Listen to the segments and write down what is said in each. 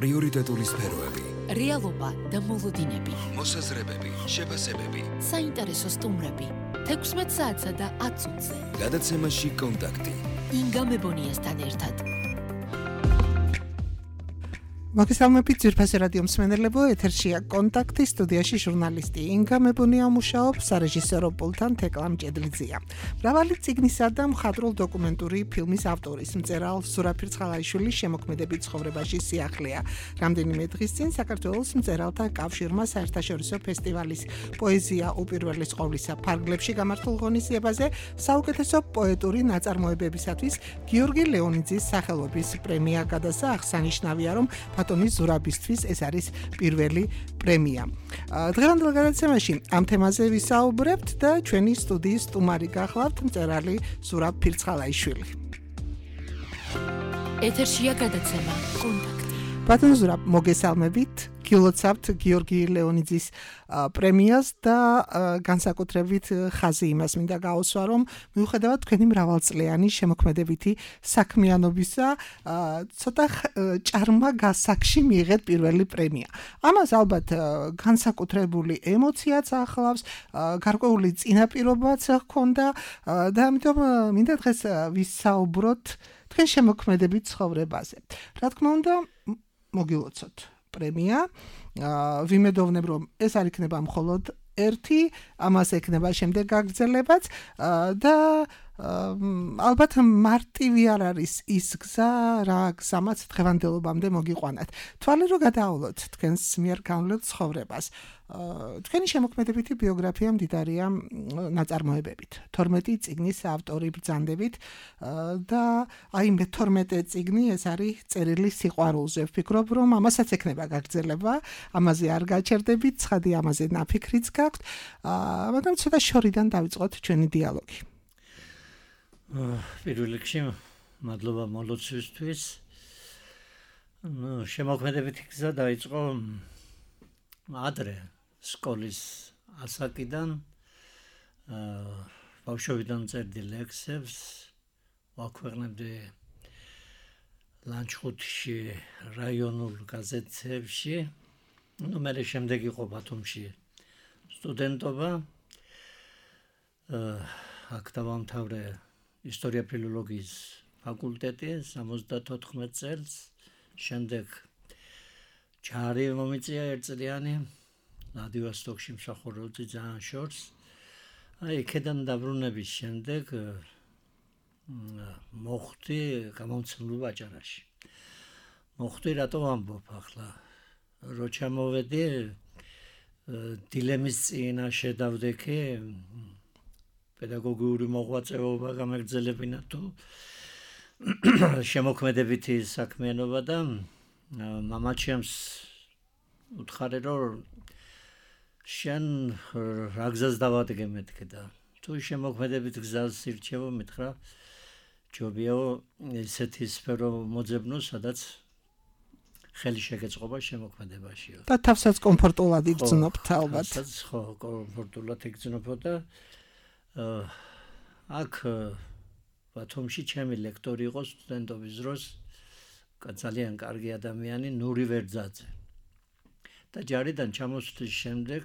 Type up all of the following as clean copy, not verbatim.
პრიორიტეტული სფეროები, რეალობა და მოლოდინები, მოსაზრებები, შეფასებები, საინტერესო სტუმრები, 16 საათსა და 10 წუთზე. გადაცემაში კონტაქტი. ინგა მებონიასთან ერთად. მოგესალმებით ძვირფასი რადიო მსმენელებო, ეთერშია კონტაქტი, სტუდიაში ჟურნალისტი ინგა მებონია მუშაობს, სარეჟისორო პულტთან თეკლა მჭედლიძეა. მრავალი წიგნისა და მხატვრულ დოკუმენტური ფილმის ავტორის მწერალ ზურაბ ფირცხალაიშვილის შემოქმედებით ცხოვრებაში სიახლეა. რამდენიმე დღის წინ საქართველოს მწერალთა კავშირმა საერთაშორისო ფესტივალის პოეზია უპირველეს ყოვლისა ფარგლებში გამართულ ღონისძიებაზე საუკეთესო პოეტური ნაწარმოებებისათვის გიორგი ლეონიძის სახელობის პრემია გადასცა. აღსანიშნავია, რომ ბატონი ზურაბისთვის ეს არის პირველი პრემია. დღევანდელ გადაცემაში ამ თემაზე ვისაუბრებთ და ჩვენი სტუდიის სტუმარი გახლავთ მწერალი ზურაბ ფირცხალაიშვილი. ეთერშია გადაცემა კონტაქტი. ბატონ ზურაბ, მოგესალმებით. გილოცავთ გიორგი ლეონიძის პრემიას და განსაკუთრებით ხაზი იმას მინდა გაუსვა, რომ მიუხედავად თქვენი მრავალწლიანი შემოქმედებითი საქმიანობისა, ცოტა ჭარმა გასაგში მიიღეთ პირველი პრემია. ამას ალბათ განსაკუთრებული ემოციაც ახლავს, გარკვეული წინაპირობაც ჰქონდა და ამიტომ მინდა დღეს ვისაუბროთ თქვენ შემოქმედებით ცხოვრებაზე. რა თქმა უნდა, მოგილოცოთ პრემია. ვიმედოვნებ, რომ ეს არ იქნება მხოლოდ ერთი, ამას ექნება შემდეგ გაგრძელებაც და ალბათ მარტივი არ არის ის გზა, რა გზამაც დღევანდელობამდე მოგიყვანათ. თვალე რო გადაავლოთ თქვენს მიერ განვლილ ცხოვრებას. თქვენი შემოქმედებითი ბიოგრაფია მდიდარია ნაწარმოებებით. 12 წიგნის ავტორი ბრძანდებით და აი მე-12 წიგნი ეს არის წერილი სიყვარულზე. ვფიქრობ, რომ ამასაც ექნება გაგრძელება, ამაზე არ გაჩერდებით, ცხადი ამაზე ნაფიქრიც გაქვთ, მაგრამ ცოტა შორიდან დავიწყოთ ჩვენი დიალოგი. პირველ რიგში მადლობა მოლოცვისთვის. შემოქმედებითი გზა დაიწყო ადრე სკოლის ასაკიდან. ბავშვობიდან წერდი ლექსებს, ვაქვეყნებდი ლანჩხუთში რაიონულ გაზეთებში. მე შემდეგ იყო ბათუმში სტუდენტობა. აქ დავამთავრე ისტორია ფილოლოგიის ფაკულტეტი 74 წელს. შემდეგ ჯარი მომიწია ერთწლიანი ვლადივოსტოკში მსახურობდი ძალიან შორს. აი იქიდან დაბრუნების შემდეგ მოხდი გამომცემლობა აჭარაში. მოხდი რატო ვამბობ ახლა? რო ჩამოვედი დილემის წინაშე დავდექი პედაგოგიური მოღვაწეობა გამეგრძელებინა თუ შემოქმედებითი საქმიანობა და მამაჩემს უთხარი, რომ შენ რა გზას დავადგე მეთქე და თუ შემოქმედებით გზას ირჩევო, მითხრა ჯობიაო ესეთი სფერო მოძებნო, სადაც ხელი შეგეწყობა შემოქმედებაშიო. და თავსაც კომფორტულად იგრძნობთ ალბათ. თავსაც ხო, კომფორტულად იგრძნობ და აქ ბათუმში ჩემი ლექტორი იყო სტუდენტობის დროს, ძალიან კარგი ადამიანი, ნური ვერძაძე. და ჯარიდან ჩამოსვლის შემდეგ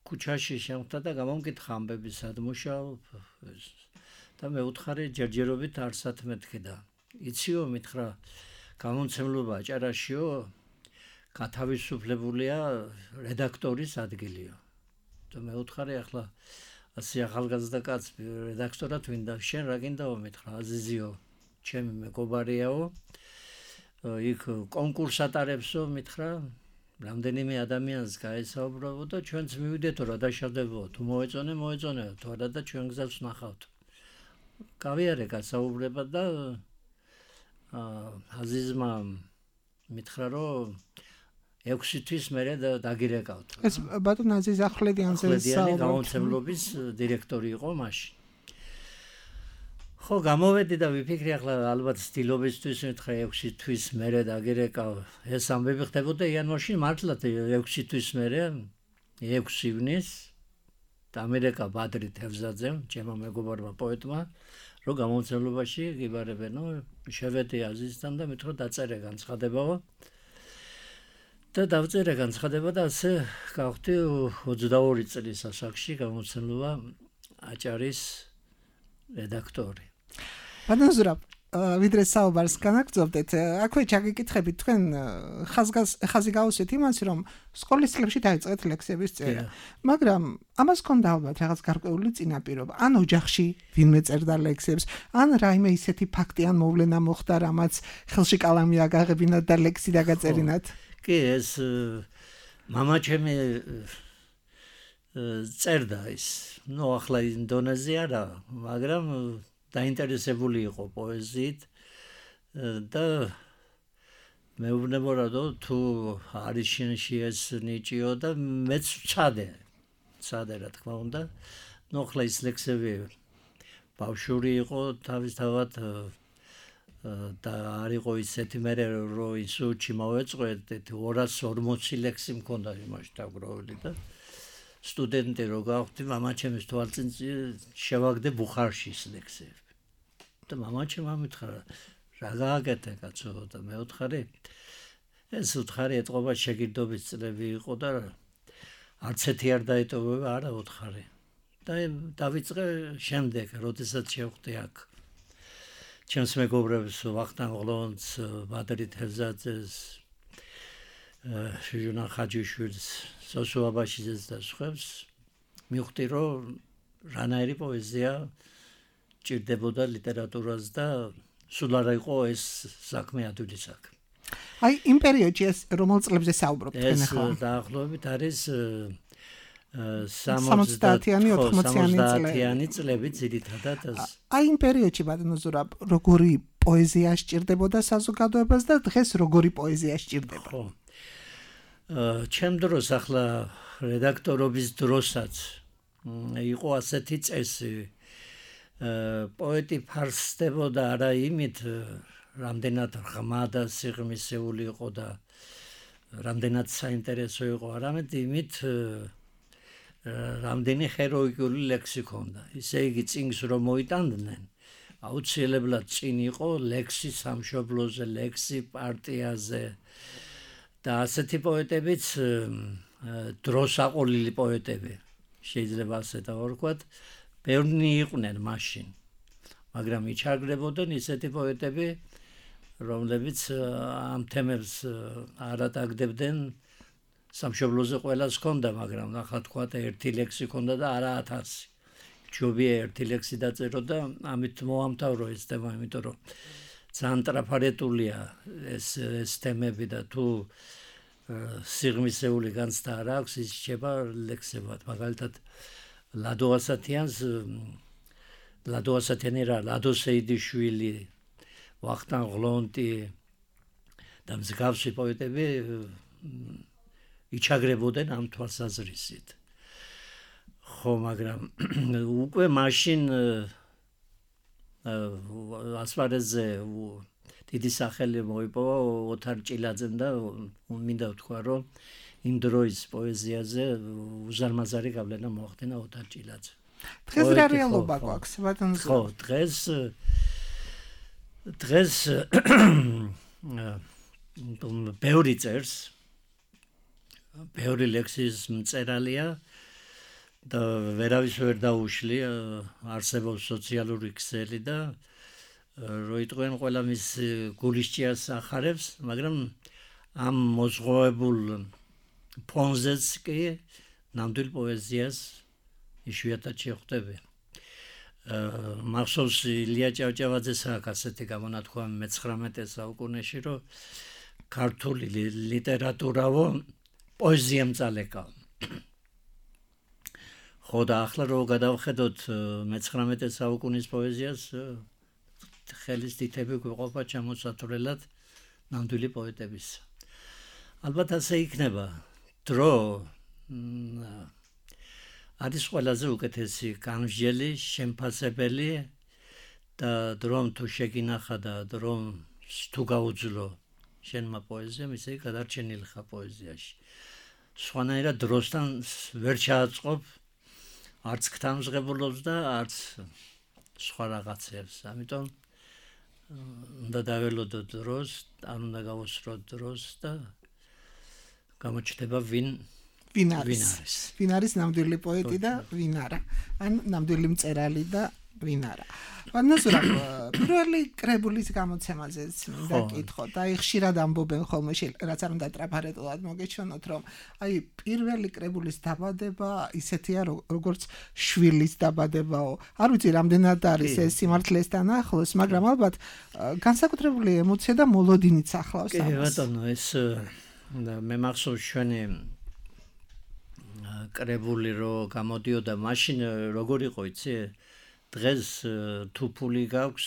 ქუჩაში შემხვდა და გამომკითხა ამბები, სად მუშაობ და მე უთხარი ჯერჯერობით არსად მეთქე და იციო, მითხრა გამომცემლობა აჭარაშიო, გათავისუფლებულია რედაქტორის ადგილიო. და მე უთხარი ახლა ასე ახალგაზრდა კაც რედაქტორად ვინდა, შენ რა გინდაო, მითხრა აზიზიო, ჩემი მეგობარიაო, იქ კონკურს ატარებსო, მითხრა რამდენიმე ადამიანს გაესაუბრებო და ჩვენც მივიდეთო რა დაშავდებო, თუ მოეწონე, თუ არა და ჩვენ გზას ვნახავთ. გავიარე გასაუბრება და აზიზმა მითხრა, რომ 6 თვის მერე დაგირეკავთ. ეს ბატონ აზიზ ახვლედიანზე საუბრობთ. გამომცემლობის დირექტორი იყო მაშინ. ხო, გამოვედი და ვიფიქრე, ახლა ალბათ სტილობისთვის მითხრა 6 თვის მერე დაგირეკავ. ეს ამბები ხდებოდა იანვარში, მართლაც 6 თვის მერე 6 ივნის დამირეკა ბადრი თევზაძემ, ჩემო მეგობარმა პოეტმა, რომ გამომცემლობაში გიბარებენო, შევედი აზიზთან და მითხრა დაწერე განცხადებაო. და დავწერე განცხადება და ასე გავხდი 22 წლის ასაკში გამოცემულა აჭარის რედაქტორი. ბატონ ზურაბ, ვიდრე საუბარს განაგრძობდეთ, აქვე ჩაგიკითხებით თქვენ ხაზი გაუსვით იმას, რომ სკოლის წლებში დაიწყეთ ლექსების წერა. მაგრამ ამას ჰქონდა ალბათ რაღაც გარკვეული წინაპირობა. ან ოჯახში ვინმე წერდა ლექსებს, ან რაიმე ისეთი ფაქტი ან მოვლენა მოხდა, რამაც ხელში კალამი აგაღებინათ და ლექსი დაგაწერინათ. კი, ეს მამა ჩემი წერდა ის. ახლა ინდონეზი არა, მაგრამ დაინტერესებული იყო პოეზიით და მეუბნება რომ თუ არის შენში ეს ნიჭიო და მეც ვცადე რა თქმა უნდა. ახლა ის ლექსები ბავშვური იყო თავისთავად და არ იყო ისეთი მე რომ ინსტიტუტში მოვეწყვეტ 240 ლექსი მქონდა იმაში დაგროვილი და სტუდენტი რო გავხდი მამა ჩემის თვალწინში შევაგდე ბუხარში ის ლექსები და მამა ჩემ ამითხრა რა გააკეთე კაცო და მე ვთხარი ეს ვთხარი ეთყობა შეგირდობის წლები იყო და არც ერთი არ დაეტოვება არა ვთხარი და დავიწყე შემდეგ როდესაც შევხვდი აქ ჩემს მეგობრებს ვახტანგ ღლონს ბადრი თევზაძეს ჟუნა ხაჯიშვილს სოსო აბაშიძეს და სხვებს მივხვდი რომ რანაირი პოეზია ჭირდებოდა ლიტერატურას და სულ არ იყო ეს საქმე ადვილი საქმე. აი იმ პერიოდში ეს რომელ წლებზე საუბრობთ თქვენ ახლა? ეს დაახლოებით არის 70-იანი 80-იანი წლები ძირითადად აი იმ პერიოდში ბატონო ზურაბ როგორი პოეზია სჭირდებოდა საზოგადოებას და დღეს როგორი პოეზია სჭირდება? ხო. ჩემ დროს ახლა რედაქტორობის დროსაც იყო ასეთი წესი პოეტი ფარსდებოდა არა იმით რამდენად ღრმა და სიღრმისეული იყო და რამდენად საინტერესო იყო არამედ იმით რამდენი ჰეროიკული ლექსი ჰქონდა. ისე იგი წინგს რომ მოიტანდნენ აუცილებლად წინ იყო ლექსი სამშობლოზე, ლექსი პარტიაზე და ასეთი პოეტებიც დროსაყოლილი პოეტები შეიძლება ასე დავარქვათ ბევრი იყვნენ მაშინ მაგრამ იჩაგრებოდნენ ისეთი პოეტები რომლებიც ამ თემებს არ ატაგდებდნენ სამშობლოზე ყველას ჰქონდა მაგრამ ახლა თქვათ ერთი ლექსი ჰქონდა და არა 1000 ჯობია ერთი ლექსი დაწერო და ამით მოამთავრო ეს თემა იმიტომ რომ ძალიან ტრაფარეტულია ეს თემები და თუ სიღრმისეული განცდა არ აქვს ის შეება ლექსებად მაგალითად ლადო ასათიანი რა ლადო სეიდიშვილი ვახტანგ ღლონტი და მსგავსი პოეტები იჩაგრებოდნენ ამ თვალსაზრისით ხო მაგრამ უკვე მაშინ ასპარეზზე დიდი სახელი მოიპოვა ოთარ ჭილაძემ და მინდა ვთქვა რომ იმ დროის პოეზიაზე უზარმაზარი გავლენა მოახდინა ოთარ ჭილაძემ. დღეს რა რეალობა გვაქვს ბატონო? ხო, დღეს ბევრი წერს, ბევრი ლექსის მწერალია და ვერავის ვერ დაუშლი არსებობს სოციალური ქსელი და რო იტყვიან ყველა მის გულისჭიას ახარებს, მაგრამ ამ მოზღვავებულ ფონზეც კი ნამდვილ პოეზიას იშვიათად შეხვდები. მახსოვს ილია ჭავჭავაძეს აქვს ასეთი გამონათქვამი მე-19 საუკუნეში, რომ ქართული ლიტერატურავო პოეზიამ წალეკა. ხო და ახლა რო გადავხედოთ მე-19 საუკუნის პოეზიას ხელის თითები გვიყოფა ჩამოსათვლელად ნამდვილი პოეტების. ალბათ ასე იქნება. დრო არის ყველაზე უკეთესი განმსჯელი, შემფასებელი და დრომ თუ შეგინახა და დრომ თუ გაუძლო შენმა პოეზიამ, ისე გადარჩენილი ხარ პოეზიაში. სხვანაირად დროსთან ვერ ჩააწყობ არც ქთამსღებულობს და არც სხვა რაღაცებს. ამიტომ უნდა დაველოდო დროს, არ უნდა გავუსწროთ დროს და გამოჩნდება ვინ არის ნამდვილი პოეტი და ვინ არა. ან ნამდვილი მწერალი და ვინ არა. ვანაზურა პირველი კრებულის გამოცემაზეც მინდა კითხოთ. აი ხშირად ამბობენ ხოლმე რაც არ უნდა ტრაფარეტულად მოგეჩვენოთ რომ აი პირველი კრებულის დაბადება ისეთია როგორც შვილის დაბადებაო. არ ვიცი რამდენად არის ეს სიმართლესთან ახლოს, მაგრამ ალბათ განსაკუთრებული ემოცია და მოლოდინიც ახლავს ამას. კი ბატონო, ეს მე მახსოვს ჩვენი კრებული რო გამოდიოდა მაშინ როგორ იყო იცი? დღეს თუ ფული გაქვს,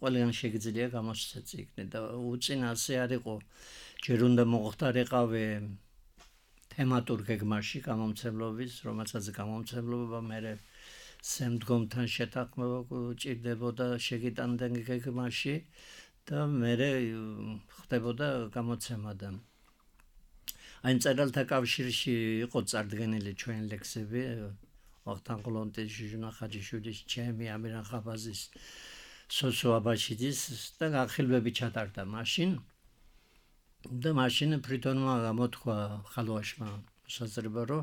ყველგან შეგიძლია გამოსცეთ წიგნი და უწინასე არ იყო. ჯერ უნდა მოხდარიყავი თემატურ გეგმაში გამომცემლობის, რომელსაც გამომცემლობა მე სემდგომთან შეთანხმება ჭირდებოდა შეგიტანდნენ გეგმაში და მე ხდებოდა გამოცემა და აი მწერალთა კავშირში იყო წარდგენილი ჩვენი ლექსები ვახტანგ ყლონტის, ჟიჟუნა ხაჯიშვილის, ჩემი ამირან ხაბაზის, სოსო აბაშიძის და განხილვები ჩატარდა მაშინ და მაშინ ფრიტონმა გამოთქვა ხალვაშმა შესაძლებლობა რომ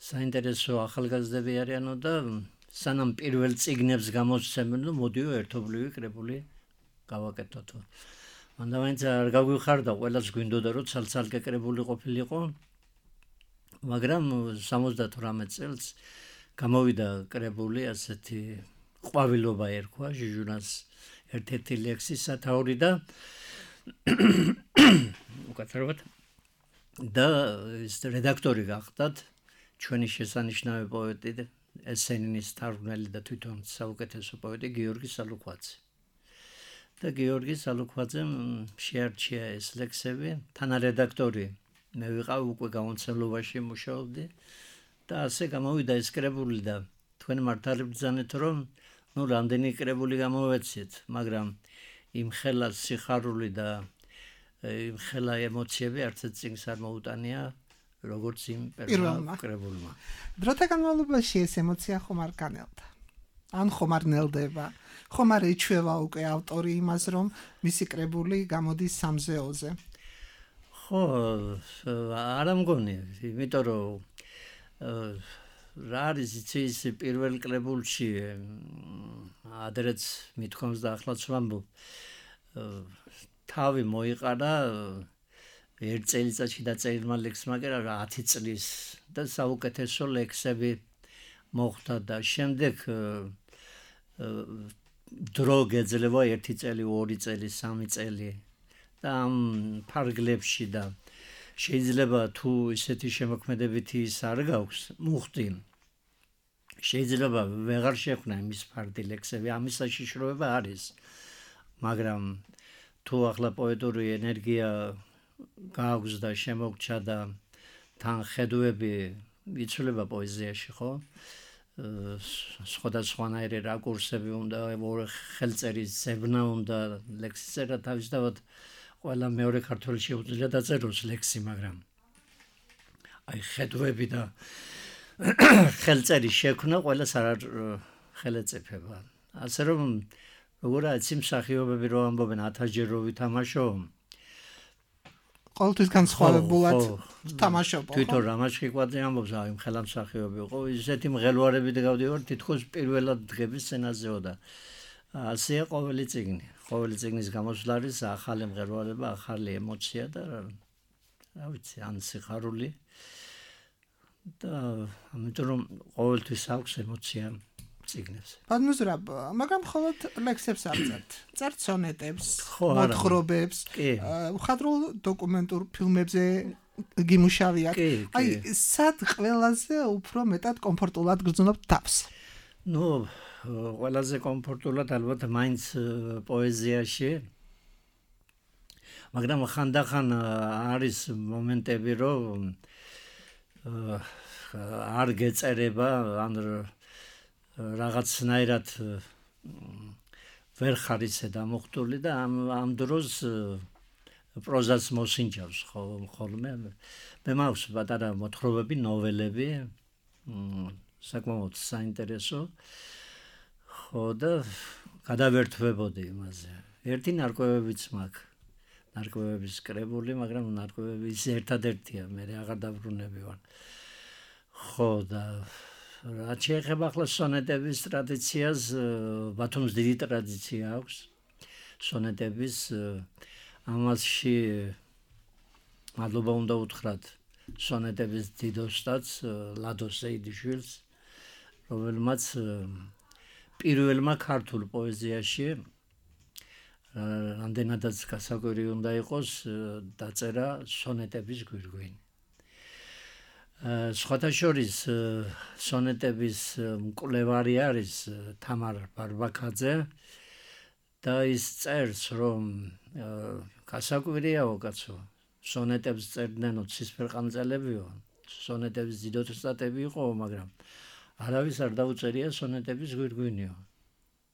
საინტერესო ახალგაზრდები არიანო და სანამ პირველ წიგნებს გამოსცემენ მოდიო ერთობლივი კრებული გავაკეთოთო. მანდა მაინც არ გაგვიხარდა ყველას გვინდოდა რომ ცალ-ცალკე კრებული ყოფილიყო, მაგრამ 78 წელს გამოვიდა კრებული ასეთი ყვავილობა ერქვა ჟიჟუნას ერთ-ერთი ლექსი სათაური და უკაცრავად და ეს რედაქტორი გახდათ ჩვენი შესანიშნავი პოეტი ესენინის თარგმნელი და თვითონ საუკეთესო პოეტი გიორგი სალუქვაძე. და გიორგი სალუქვაძემ შეარჩია ეს ლექსები, თანარედაქტორი მე ვიყავ უკვე გამომცემლობაში მუშაობდი და ასე გამოვიდა ეს კრებული და თქვენ მართალი ბრძანეთ რომ ნუ რამდენი კრებული გამოვეცით, მაგრამ იმ ხელა სიხარული და იმ ხელა ემოციები არც წიგნს არ მოუტანია როგორც იმ პირველმა კრებულმა. დროთა განმავლობაში ეს ემოცია ხომ არ განელდა. ან ხომ არ ნელდება. ხომ არ ეჩვევა უკვე ავტორი იმას რომ მისი კრებული გამოდის სამზეოზე. ხო, არ ამგონი, იმიტომ რომ რა არის ის პირველ კრებულში ადრეც მithkoms და ახლაც ვამბობ თავი მოიყარა ერთ წელიწადში დაწერილმა ლექსმა კი რა 10 წლის და საუკეთესო ლექსები მოხდა და შემდეგ დრო გეძლევა 1 წელი, 2 წელი, 3 წელი და ამ ფარგლებში და შეიძლება თუ ისეთი შემოქმედებითი ის არ გაქვს მუხტი შეიძლება ვეღარ შეხვნა იმის ფარდი ლექსები, ამის საშიშროება არის, მაგრამ თუ ახლა პოეტური ენერგია გაქვს და შემოგჩა და თან ხედვები იცვლება პოეზიაში, ხო? სხვადასხვანაირი რაკურსები უნდა, ხელწერის ზებნა უნდა, ლექსის წერა თავისთავად ყველა მეორე ქართველი შეუძლია დაწეროს ლექსი, მაგრამ აი ხედვები და ხელწერის შექმნა ყველას არ ხელეწიფება. ასე რომ როგორ არის მსახიობები რო ამბობენ 1000-ჯერ რო ვითამაშო, ყოველთვის განსხვავებულად თამაშობ. თვითონ რამაშხიკვაძე ამბობს, აი ხელამსახიობი იყო, ისეთი მღელვარებით გავდივარ, თითქოს პირველად დღების სცენაზეო და ასეა ყოველი წიგნი. ყოველი წიგნის გამოსვლა არის ახალი მღელვარება, ახალი ემოცია და რა ვიცი, ან სიხარული და ამიტომ რომ ყოველთვის აქვს ემოცია წიგნებს. ბანუზრაბ, მაგრამ მხოლოდ ლექსებს არ წერთ. წერთ სონეტებს, მოთხრობებს, მხატვრულ დოკუმენტურ ფილმებზე გიმუშავიათ. აი, სად ყველაზე უფრო მეტად კომფორტულად გრძნობთ თავს? ნუ, ყველაზე კომფორტულად ალბათ მაინც პოეზიაში. მაგრამ ხანდახან არის მომენტები, რომ არ გეწერება, ან რაღაცნაირად ვერ ხარ ისე დამოხტული და ამ დროს პროზას მოსინჯავს ხოლმე. მე მაქვს პატარა მოთხრობები, ნოველები, საკმაოდ საინტერესო. ხო და გადავერთვებოდი იმაზე. ერთი ნარკვევებიც მაქვს. ნარკვევების კრებული, მაგრამ ნარკვევები ის ერთადერთია, მე აღარ დაბრუნები ვარ. ხო და რაც შეეხება ახლა სონეტების ტრადიციას, ბათუმს დიდი ტრადიცია აქვს სონეტების, ამასში მადლობა უნდა უთხრათ სონეტების დიდ ოსტატს ლადო სეიდიშვილს, რომელმაც პირველმა ქართულ პოეზიაში რამდენადაც გასაკვირი უნდა იყოს დაწერა სონეტების გვირგვინი. სხვათა შორის სონეტების მკვლევარი არის თამარ ბარბაქაძე და ის წერს, რომ გასაკვირიაო კაცო, სონეტებს წერდნენ ცისფერყანწელებიო, სონეტების დიდ ოსტატები იყო, მაგრამ არავის არ დაუწერია სონეტების გვირგვინიო.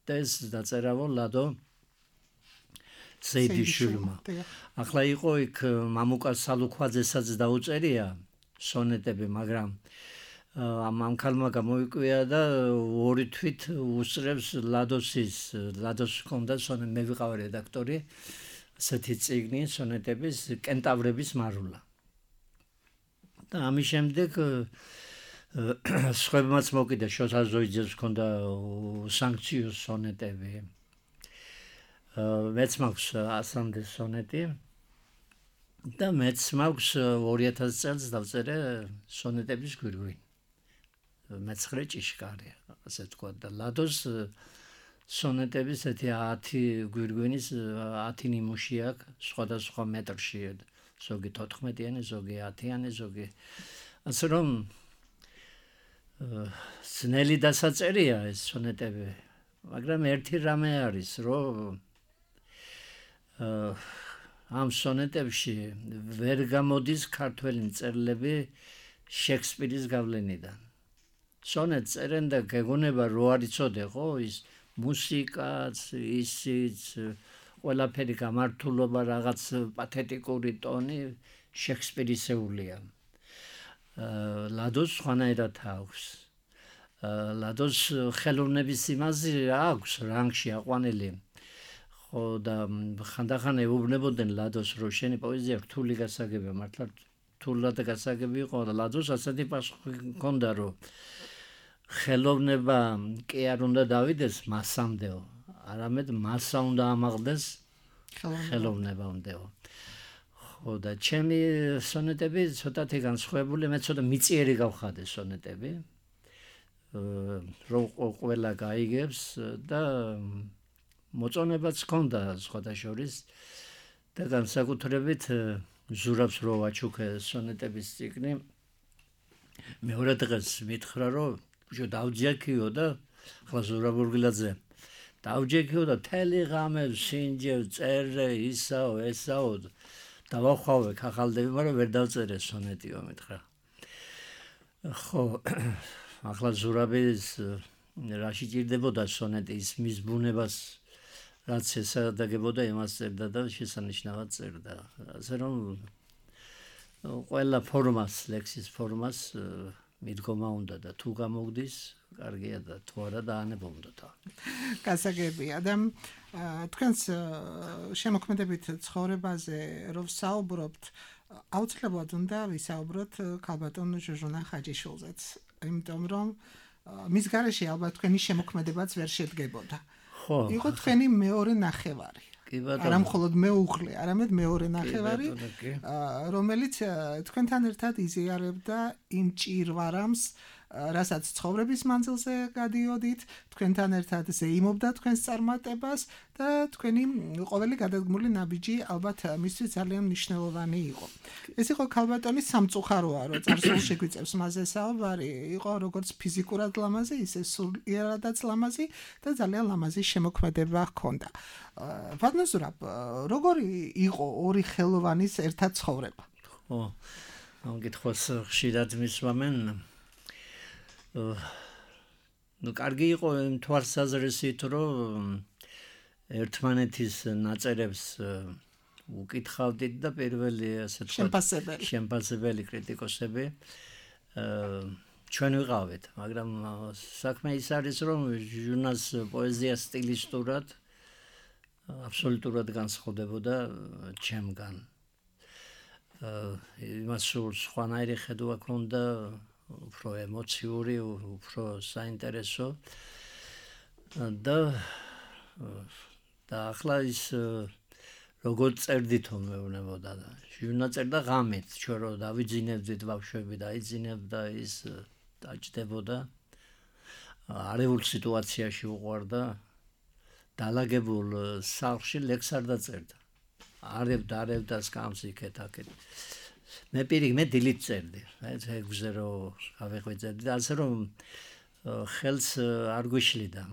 და ეს დაწერავო ლადო სეიდიშვილმა. ახლა იყო იქ მამუკა სალუქვაძესაც დაუწერია სონეტები, მაგრამ ამ ქალმა გამოიკვია და ორი თვით უსწრებს ლადოს ჰქონდა მე ვიყავ რედაქტორი ასეთი წიგნი სონეტების კენტავრების მარულა. და ამის შემდეგ სხვებმაც მოკიდა, შოთა ზოიძეს ჰქონდა სანქციო სონეტები. მეც მაქვს 100-მდე სონეტი და მეც მაქვს 2000 წელს დავწერე სონეტების გვირგვინი. მეცხრე ჭიშკარი, ასე თქვა და ლადოს სონეტების ესეთი 10 გვირგვინის 10 ნიმუში აქვს, სხვადასხვა მეტრში, ზოგი 14-იანი, ზოგი 10-იანი, ზოგი. ასე რომ ძნელი დასაწერია ეს სონეტები, მაგრამ ერთი რამე არის, რომ ამ სონეტებში ვერ გამოდის ქართველი მწერლები შექსპირის გავლენიდან. სონეტს წერენ და გეგონება რო არ იცოდე, ხო, ის მუსიკაც, ისიც, ყველაფერი გამართულობა, რაღაც პათეტიკური ტონი შექსპირისეულია. ლადოს სხვანაირად აქვს. ლადოს ხელოვნების იმაზე აქვს რანგში აყვანილი. ხო და ხანდახან ეუბნებოდნენ ლადოს, რომ შენი პოეზია რთული გასაგებია, მართლა რთულად გასაგები იყო და ლადოს ასეთი პასუხი ჰქონდა, რომ ხელოვნება კი არ უნდა დავიდეს მასამდეო, არამედ მასა უნდა ამაღლდეს ხელოვნებამდეო. ხო და ჩემი სონეტები ცოტათი განსხვავებული, მე ცოტა მიწიერი გავხადე სონეტები, რომ ყველა გაიგებს და მოწონებაც ჰქონდა სხვათა შორის და განსაკუთრებით ზურაბს რო ვაჩუქე სონეტების წიგნი, მეორე დღეს მითხრა, რომ ბიჭო დავჯექიო და ახლა ზურაბ ორგილაძე დავჯექიო და თელი ღამე სინჯევ, წერე, ისაო, ესაო, დავახვავე, ხახალდები, მაგრამ ვერ დავწერე სონეტიო, მითხრა. ხო, ახლა ზურაბის რაში ჭირდებოდა სონეტი, ის მის ბუნებას რაც ესადაგებოდა, იმას წერდა და შესანიშნავად წერდა. ასე რომ ყველა ფორმას, ლექსის ფორმას მიდგომა უნდა და თუ გამოგდის, კარგია და თუ არა დაანებობდოთ. გასაგებია და თქვენს შემოქმედებით ცხოვრებაზე რომ საუბრობთ, აუცილებლად უნდა ვისაუბროთ ქალბატონ ჟუჟუნა ხაჯიშვილზეც, იმიტომ რომ მის გარეშე ალბათ თქვენი შემოქმედებაც ვერ შედგებოდა. იყო თქვენი მეორე ნახევარი. არა მხოლოდ მეუღლე, არამედ მეორე ნახევარი, რომელიც თქვენთან ერთად იზიარებდა იმ ჭირვარამს, რასაც ცხოვრების მანძილზე გადიოდით, თქვენთან ერთად ზეიმობდა თქვენს წარმატებას და თქვენი ყოველი გადადგმული ნაბიჯი ალბათ მისთვის ძალიან მნიშვნელოვანი იყო. ეს იყო ქალბატონის სამწუხაროა, რომ წარსულში გვიწევს მასზე საუბარი, იყო როგორც ფიზიკურად ლამაზი, ისე სულიერადაც ლამაზი და ძალიან ლამაზი შემოქმედება ჰქონდა. ბატონო ზურაბ, როგორი იყო ორი ხელოვანის ერთად ცხოვრება? ხო, ამ კითხვას ხშირად მისვამენ. კარგი იყო იმ თვალსაზრისით, რომ ერთმანეთის ნაწერებს უკითხავდით და პირველი ასე თქვა შემპასებელი კრიტიკოსები ჩვენ ვიყავით, მაგრამ საქმე ის არის, რომ ჟურნალს პოეზია სტილისტურად აბსოლუტურად განსხვავდებოდა ჩემგან. იმას სულ სხვანაირი ხედვა ჰქონდა, უფრო ემოციური, უფრო საინტერესო და ახლა ის როგორ წერდითო მეუბნებოდა და ჟურნალ წერდა ღამით, ჩვენ რო დავიძინებდით ბავშვები და აიძინებდა ის დაჭდებოდა. არևულ სიტუაციაში უყვარდა დალაგებულ სახლში ლექს არ დაწერდა. არევდა სკამს იქეთ აქეთ. მე დილით წერდი. ეგზე რომ გავეღვიძებდი და ასე რომ ხელს არ გვიშლიდა.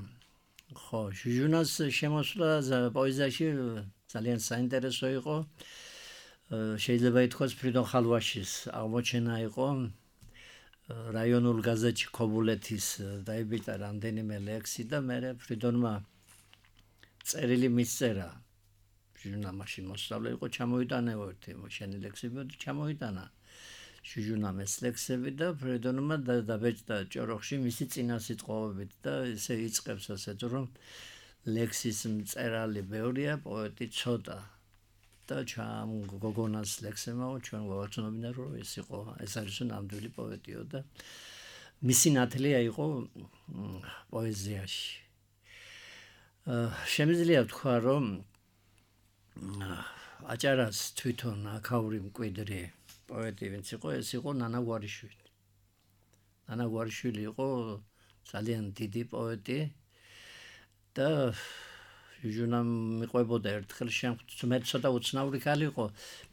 ხო, ჟურნალს შემოსვლა პოეზიაში ძალიან საინტერესო იყო. შეიძლება ითქვას ფრიდონ ხალვაშის აღმოჩენა იყო. რაიონულ გაზეთში ქობულეთის დაიბეჭდა რამდენიმე ლექსი და მე ფრიდონმა წერილი მისწერა. ჟურნალში მოსწავლე იყო, ჩამოიტანეო ერთი შენი ლექსები და ჩამოიტანა ჟურნალს ლექსები და ფრიდონმა დაბეჭდა ჭოროხში მისი წინა სიტყვებით და ესე იწყებს ასეთ რომ ლექსის მწერალი ბევრია, პოეტი ცოტა. და ჩამ გოგონას ლექსებმა ჩვენ ვაცნობინა რომ ეს არის ნამდვილი პოეტიო და მისი ნათლია იყო პოეზიაში. შემიძლია ვთქვა რომ აჭარას თვითონ აქაური მკვიდრი პოეტი ვინც იყო, ეს იყო ნანა გვარიშვილი. ნანა გვარიშვილი იყო ძალიან დიდი პოეტი და ჟურნალ მიყვებოდა ერთხელ მე ცოტა უცნაური ხალი იყო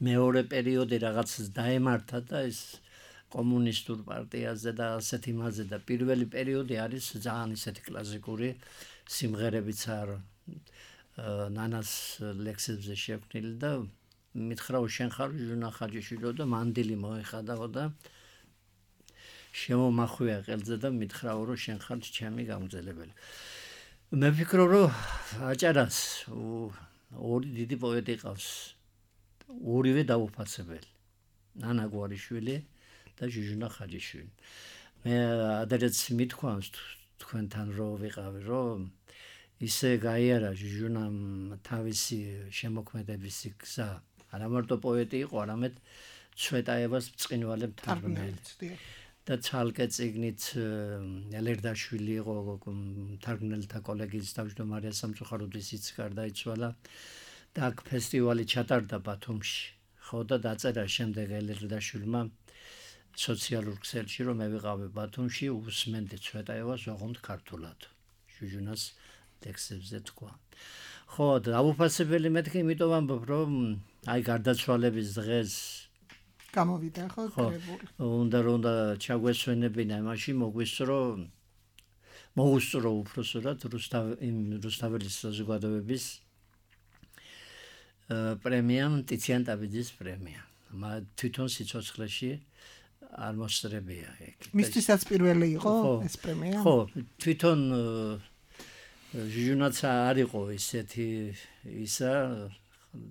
მეორე პერიოდი რაღაც დაემართა და ის კომუნისტურ პარტიაზე და ასეთ იმაზე და პირველი პერიოდი არის ძალიან ისეთი კლასიკური სიმღერებიც არ ნანას ლექსებზე შექმნილი და მითხრა შენ ხარ ჟურნალ ხაჯიშვილი და მანდილი მოეხადაო და შემომახვია ყელზე და მითხრა რომ შენ ხარ ჩემი გამგზელებელი. მე ვფიქრობ რომ აჭარას ორი დიდი პოეტი ყავს. ორივე დაუფასებელი. ნანა გვარიშვილი და ჟუჟუნა ხაჯიშვილი. მე ადრეც მithქვამს თქვენთან რომ ვიყავი რომ ისე გაიარა ჟუჟუნამ თავისი შემოქმედების გზა. არა მარტო პოეტი იყო, არამედ ცვეტაევას ბრწყინვალე მთარგმნელი. და ცალკე წიგნით ელერდაშვილი იყო მთარგმნელთა კოლეგიის თავმჯდომარე სამწუხაროდ ისიც გარდაიცვალა და აქ ფესტივალი ჩატარდა ბათუმში. ხო და დაწერა შემდეგ ელერდაშვილმა სოციალურ ქსელში რომ მე ვიყავი ბათუმში უსმენდი ცვეტაევას ოღონდ ქართულად. ჟუჟუნას ლექსებზე თქვა. ხო და დაუფასებელი მეთქი იმიტომ ამბობ რომ აი გარდაცვალების დღეს გამოვიდა ხო კრებული. უნდა ჩაგვესვენებინა იმაში მოგვუსწრო უბრალოდ რუსთაველის საზოგადოების პრემია, ტიციან ტაბიძის პრემია. თვითონ სიცოცხლეში არ მოსწრებია ეგ. მისთვისაც პირველი იყო ეს პრემია? ხო, თვითონ ჟურნალს არ იყო ისეთი ისა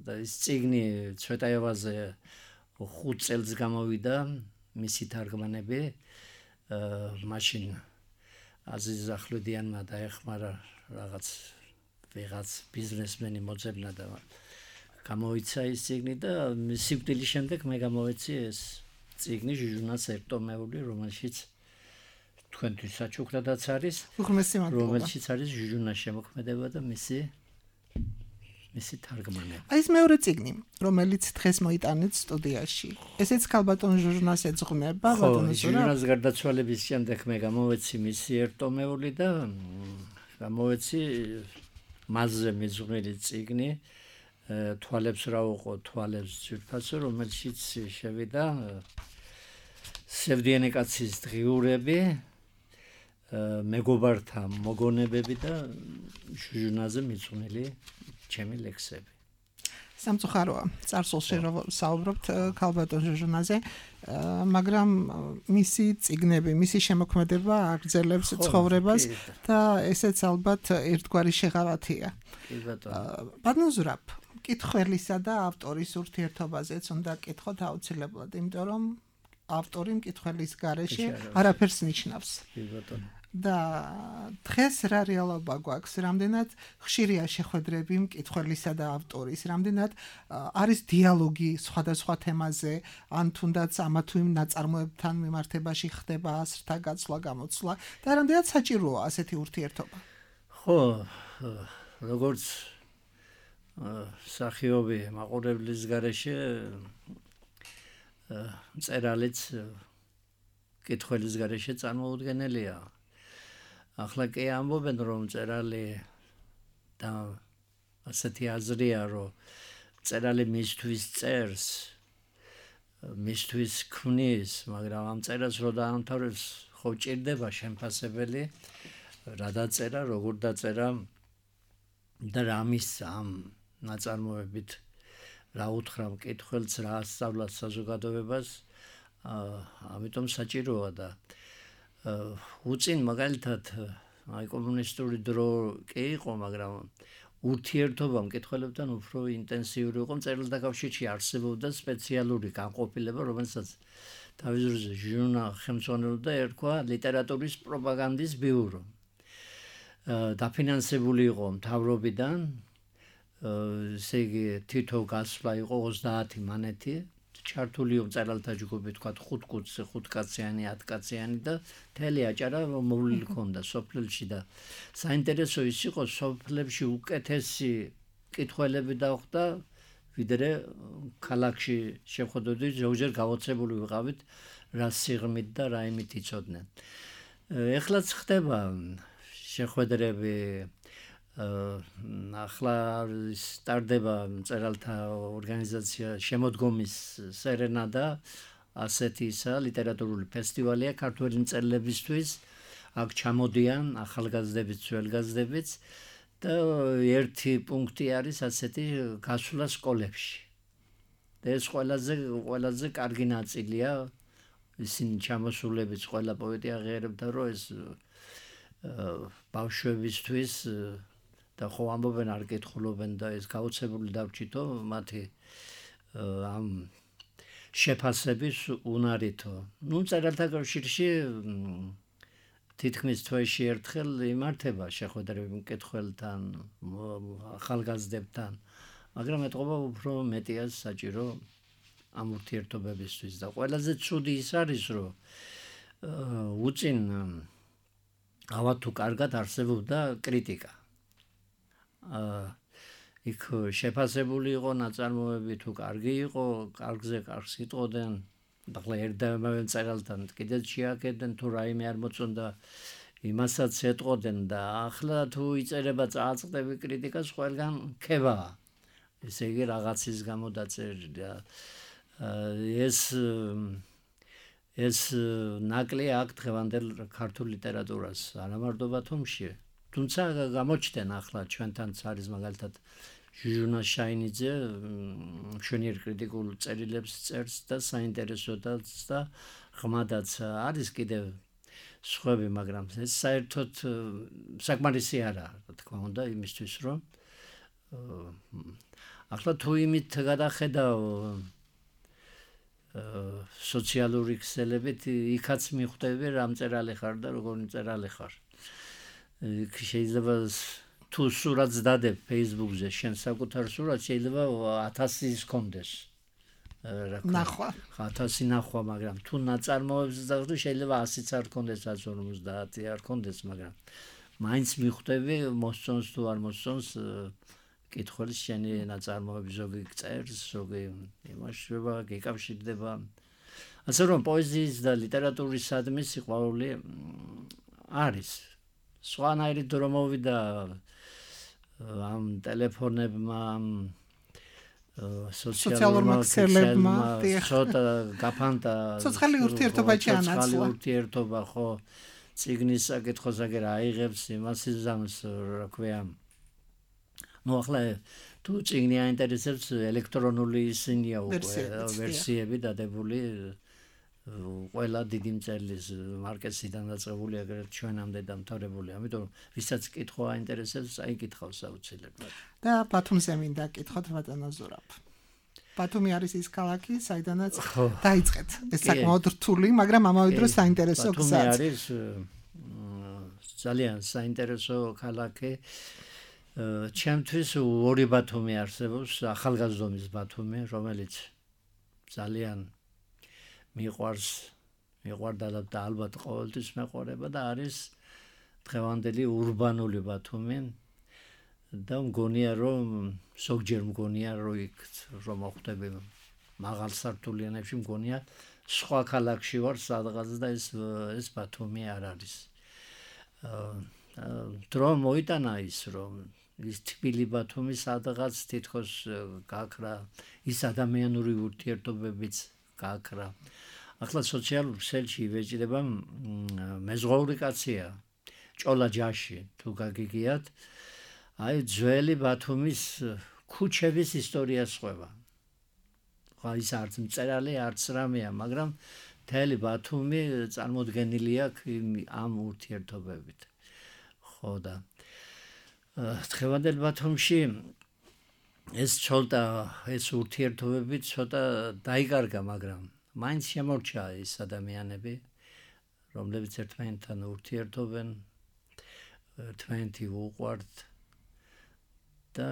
და ის წიგნი ცვეტაევაზე 5 წელს გამოვიდა მისი თარგმანები. მაშინ აზიზ ახვლედიანმა დაეხმარა ვიღაც ბიზნესმენი მოძებნა და გამოიცა ის წიგნი და სიკვდილის შემდეგ მე გამოვეცი ეს წიგნი ჟურნალს ერთტომეული, რომელშიც თქვენთვის საჩუქრადაც არის, რომელშიც არის ჟურნალის შემოქმედება და მისი თარგმანები. აი ეს მეორე წიგნი, რომელიც დღეს მოიტანეთ სტუდიაში. ესეც ქალბატონ ჟურნალს ეძღვნება, ბატონო ზურაბ. ჟურნალის გარდაცვალების შემდეგ მე გამოვეცი მისი ერთტომეული და გამოვეცი მასზე მიძღვნილი წიგნი თვალებს რა უყო თვალებს ძვირფასო, რომელშიც შევიდა სევდიანი კაცის დღიურები, მეგობართა მოგონებები და ჟურნალზე მიძღვნილი ჩემი ლექსები. სამწუხაროა, წარსულში საუბრობთ ქალბატონ ჟურნალზე, მაგრამ მისი წიგნები, მისი შემოქმედება აგრძელებს ცხოვრებას და ესეც ალბათ ერთგვარი შეღავათია. ბატონო ზურაბ, მკითხველისა და ავტორის ურთიერთობაზეც უნდა კითხოთ აუცილებლად, იმიტომ რომ ავტორი მკითხველის გარეშე არაფერს ნიშნავს. და დღეს რა რეალობა გვაქვს, რამდენად ხშირია შეხვედრები მკითხველისა და ავტორის, რამდენად არის დიალოგი სხვადასხვა თემაზე, ან თუნდაც ამა თუ იმ ნაწარმოებთან მიმართებაში ხდება ასრთა გაცვლა, გამოცვლა და რამდენად საჭიროა ასეთი ურთიერთობა. ხო, როგორც სახიობი მაყურებლის გარეშე წერალიც კითხველის გარეშე წარმოუდგენელია. ახლა კი ამბობენ რომ წერალი და ასეთი აზრია რომ წერალი მისთვის წერს, მისთვის ქმნის, მაგრამ ამ წერას რო დაამთავრებს ხო ჭირდება შემფასებელი რა დაწერა, როგორ დაწერა და რა მისცა ამ ნაწარმოებით რა უთხრა მკითხველს, რა ასწავლა საზოგადოებას, ამიტომ საჭიროა და უწინ მაგალითად აი კომუნისტური დრო კი იყო, მაგრამ ურთიერთობა მკითხველებთან უფრო ინტენსიური იყო. მწერალთა კავშირში არსებობდა სპეციალური განყოფილება, რომელსაც თავის დროზე ჟურნა ხელმძღვანელობდა, ერქვა ლიტერატურის პროპაგანდის ბიურო. დაფინანსებული იყო მთავრობიდან, ესე იგი თითო გასვლა იყო 30 მანეთი, ჩართული მწერალთა ჯგუფი თქვა 5 კაციანი, 10 კაციანი და მთელი აჭარა მოვლილი ჰქონდა სოფლებში და საინტერესო ის იყო სოფლებში უკეთესი კითხველები დახვდა, ვიდრე ქალაქში შეხვედრით, ზოგჯერ გავოცებული ვიყავით რა სიღრმით და რა იმით იცოდნენ. ეხლაც ხდება შეხვედრები, ახლა სტარდება მწერალთა ორგანიზაცია შემოდგომის სერენადა, ასეთი ისა ლიტერატურული ფესტივალია ქართველი მწერლებისთვის, აქ ჩამოდიან ახალგაზრდებიც, ძველგაზრდებიც და ერთი პუნქტი არის ასეთი გასვლა სკოლებში. და ეს ყველაზე კარგი ნაწილია, ისინი ჩამოსულებიც ყველა პოეტი აღიარებდა, რომ ეს ბავშვებისთვის და ხო ამბობენ არ კითხულობენ და ეს გაუცებული დავრჩითო მათი ამ შეფასების უნარითო. ნუ მწერალთა კავშირში თითქმის თვეში ერთხელ იმართება შეხვედრები მკითხველთან, ახალგაზრდებთან, მაგრამ ეთყობა უფრო მეტია საჭირო ამ ურთიერთობებისთვის და ყველაზე ცუდი ის არის, რომ უწინ ავა თუ კარგად არსებობდა კრიტიკა. იქ შეფასებული იყო ნაწარმოები თუ კარგი იყო, კარგზე კარგს იტყოდნენ, ახლა ერთდაიმავე მწერალთან კიდეც შეაკეთდნენ თუ რაიმე არ მოწონდა, იმასაც ეტყოდნენ და ახლა თუ იწერება წააწყდები კრიტიკას, ყველგან ქებაა. ესე იგი რაღაცის გამო დაწერილი და ეს ნაკლია აქ დღევანდელ ქართულ ლიტერატურას, არა მარტო ბათუმში. თუმცა გამოჩნდნენ ახლა ჩვენთანაც არის მაგალითად ჟუჟუნა შაინიძე, მშვენიერ კრიტიკულ წერილებს წერს და საინტერესოდაც და ღმადაც არის კიდევ სხვები, მაგრამ ეს საერთოდ საკმარისი არა, რა თქმა უნდა, იმისთვის რომ ახლა თუ იმით გადახედავ სოციალური ქსელებით, იქაც მიხვდები რა მწერალი ხარ და როგორი მწერალი ხარ. შეიძლება თუ სურათს დადებ Facebook-ზე, შენ საკუთარ სურათს შეიძლება 1000 ჰქონდეს. ნახვა. 1000 ნახვა, მაგრამ თუ ნაწარმოებს დახვდე, შეიძლება 100-იც არ ჰქონდეს, 150 არ ჰქონდეს, მაგრამ მაინც მიხვდები, მოსწონს თუ არ მოსწონს კითხველის შენი ნაწარმოები, ზოგი წერს, ზოგი იმაშება, გეკავშირდება. ასე რომ პოეზიის და ლიტერატურისადმი სიყვარული არის. სხვანაირი დრო მოვიდა ამ ტელეფონებმა, სოციალურმა ქსელებმა, ცოტა გაფანტა, ცოცხალი ურთიერთობა ჩაანაცვლა. ცოცხალი ურთიერთობა, ხო, წიგნის საკითხოს აგერ აიღებს, იმას იზამს, რა ქვია. ნუ ახლა თუ წიგნი აინტერესებს, ელექტრონული ისინია უკვე ვერსიები დადებული, ყველა დიდი მწერლის მარკესიდან დაწყებული, აგრეთვე ჩვენამდე დამთავრებული. ამიტომ ვისაც კითხვა აინტერესებს, აიკითხავს აუცილებლად. და ბათუმზე მინდა კითხოთ ბატონო ზურაბ. ბათუმი არის ის ქალაქი, საიდანაც დაიწყეთ ეს საკმაოდ რთული, მაგრამ ამავე დროს საინტერესო გზაც. ბათუმი არის ძალიან საინტერესო ქალაქი. ჩემთვის ორი ბათუმი არსებობს, ახალგაზრდობის ბათუმი, რომელიც ძალიან მიყვარდა და ალბათ ყოველთვის მეყვარება და არის დღევანდელი ურბანული ბათუმი და მგონია რომ ზოგჯერ მგონია რომ იქ რომ მოხდები მაღალ სართულიანებში მგონია სხვა ქალაქში ვარ სადღაც და ეს ბათუმი არ არის. დრო მოიტანა ის რომ ის თბილი ბათუმი სადღაც თითქოს გაქრა, ის ადამიანური ურთიერთობებიც გაქრა. ახლა სოციალურ ქსელში იბეჭდება მეზღვაური კაცია, ჭოლა ჯაში თუ გაგიგიათ, აი ძველი ბათუმის ქუჩების ისტორიას ყვება. ის არც მწერალი, არც რამეა, მაგრამ მთელი ბათუმი წარმოდგენილი აქვს ამ ურთიერთობებით. ხო და დღევანდელ ბათუმში ეს ურთიერთობები ცოტა დაიკარგა, მაგრამ მაინც შემორჩა ის ადამიანები, რომლებიც ერთმანეთთან ურთიერთობენ, ერთმანეთი უყვართ და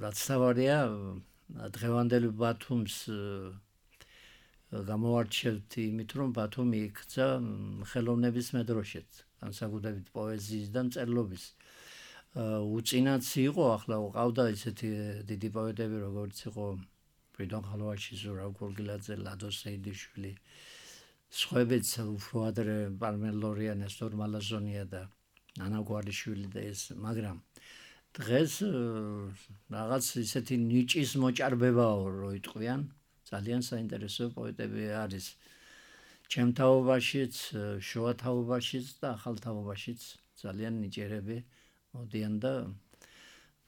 რაც თავარია დღევანდელი ბათუმს გამოვარჩევთ იმით, რომ ბათუმი იქცა ხელოვნების მედროშეც, განსაკუთრებით პოეზიის და მწერლობის. უწინაც იყო, ახლა ყავდა ისეთი დიდი პოეტები, როგორც იყო ფრიდონ ხალვაში, ზურაბ გურგილაძე, ლადო სეიდიშვილი, სხვაებიც უფრო ადრე პალმელორია, ნესტორ მალაზონია და ანა გვარიშვილი და ეს, მაგრამ დღეს რაღაც ისეთი ნიჭის მოჭარბებაო რო იტყვიან, ძალიან საინტერესო პოეტები არის ჩემ თაობაშიც, შუა თაობაშიც და ახალ თაობაშიც ძალიან ნიჭიერები მოდიან და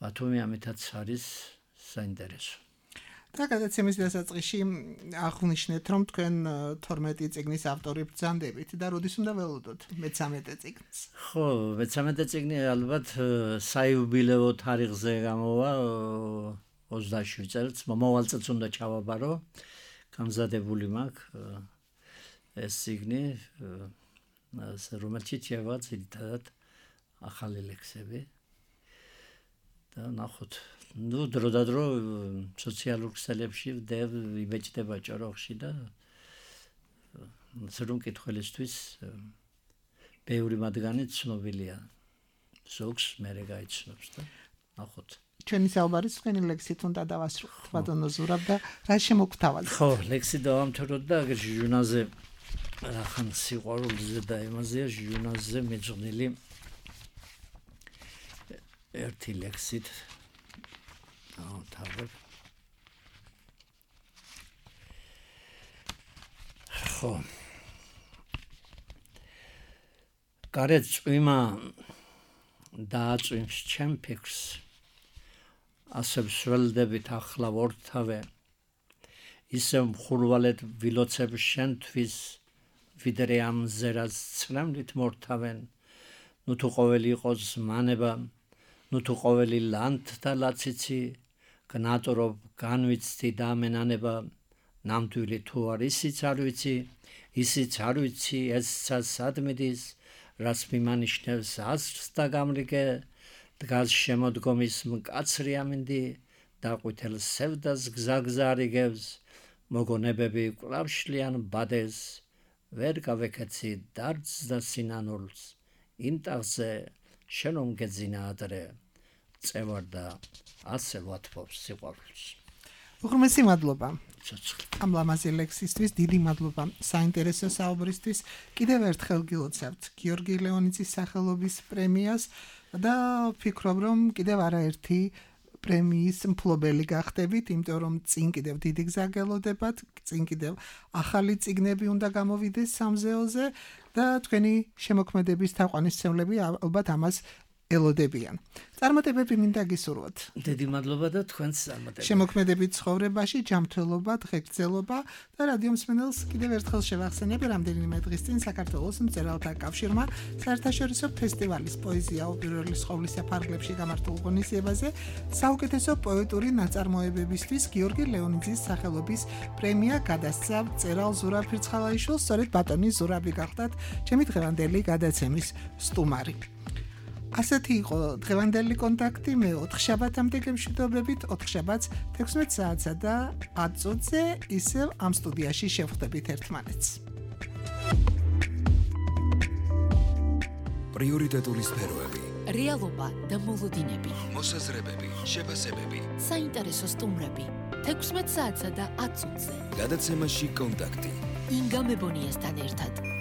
ბათუმი ამითაც არის საინტერესო. და გადაცემის დასაწყისში აღნიშნეთ, რომ თქვენ 12 წიგნის ავტორი ბრძანდებით და როდის უნდა ველოდოთ მე-13 წიგნს? ხო, მე-13 წიგნი ალბათ საიუბილეო თარიღზე გამოვა 27 წელს, მომავალ წელს უნდა ჩავაბარო, გამზადებული მაქვს ეს წიგნი, რომელშიც შევა ძირითადად ახალი ლექსები და ნახოთ. ნუ დრო სოციალურ ქსელებში იბეჭდება ჭოროხში და რომ კითხველისთვის ბევრი მათგანი ცნობილია. ზოგს მერე გაიცნობს და ნახოთ. ჩვენი საუბარი თქვენი ლექსით უნდა დავასრულოთ, ბატონო ზურაბ და რა შემოგთავაზებთ? ხო, ლექსი დავამთავროთ და აგერ ჟურნალზე რახან სიყვარულზე და იმაზეა ჟურნალზე მეძღვნილი ერთი ლექსით დავამთავრებ. ხო. გარეთ წვიმა დააწვიმს ჩემ ფიქრს, ასე ვსველდებით ახლა ვორთავე, ისე მხურვალედ ვილოცებ შენთვის, ვიდრე ამ ზერას ცრემლით მორთავენ, ნუ თუ ყოველი იყოს მანება, ნუ თუ ყოველი ლანდთა ლაციცი, გნატრობ განვიცდი და ამენანება, ნამდვილი თუ არ ისიც არ ვიცი, ისიც არ ვიცი, ესცა სადმიდის, რაც მიმანიშნებს აზრს და გამრიგე, დგას შემოდგომის მკაცრი ამინდი, დაყვითელ სევდას გზაგზა რიგებს, მოგონებები კვლავ შლიან ბადეს, ვერ გავეკეცი დარდს და სინანულს, იმ ტახზე შენ რომ გეძინა ადრე, წევარ და ასე ვათბობს სიყვარულს. უღრმესი მადლობა. ცოცხლი. ამ ლამაზი ლექსისთვის დიდი მადლობა საინტერესო საუბრისთვის. კიდევ ერთხელ გილოცავთ გიორგი ლეონიძის სახელობის პრემიას და ვფიქრობ, რომ კიდევ არაერთი პრემიის მფლობელი გახდებით, იმიტომ რომ წინ კიდევ დიდი გზა გელოდებათ, წინ კიდევ ახალი წიგნები უნდა გამოვიდეს სამზეოზე და თქვენი შემოქმედების თაყვანისმცემლები ალბათ ამას ელოდებიან. წარმატებები მინდა გისურვოთ. დიდი მადლობა და თქვენს წარმატებებს. შემოქმედებით ცხოვრებაში, ჯანმრთელობა, დღეგრძელობა და რადიო მსმენელს კიდევ ერთხელ შევახსენებ, რამდენიმე დღის წინ საქართველოს მწერალთა კავშირმა საერთაშორისო ფესტივალის პოეზია უპირველეს ყოვლისა ფარგლებში გამართულ ღონისძიებაზე საუკეთესო პოეტური ნაწარმოებებისთვის გიორგი ლეონიძის სახელობის პრემია გადასცა მწერალ ზურაბ ფირცხალაიშვილს. სწორედ ბატონი ზურაბი გახდათ ჩემი დღევანდელი გადაცემის სტუმარი. ასეთი იყო დღევანდელი კონტაქტი. მე 4 შაბათამდე გემშვიდობებით, 4 შაბათს 16 საათსა და 10 წუთზე ისევ ამ სტუდიაში შევხვდებით ერთმანეთს. პრიორიტეტული სფეროები, რეალობა და მოლოდინები, მოსაზრებები, შეფასებები. საინტერესო სტუმრები 16 საათსა და 10 წუთზე. გადაცემაში კონტაქტი. ინგა მებონიასთან ერთად.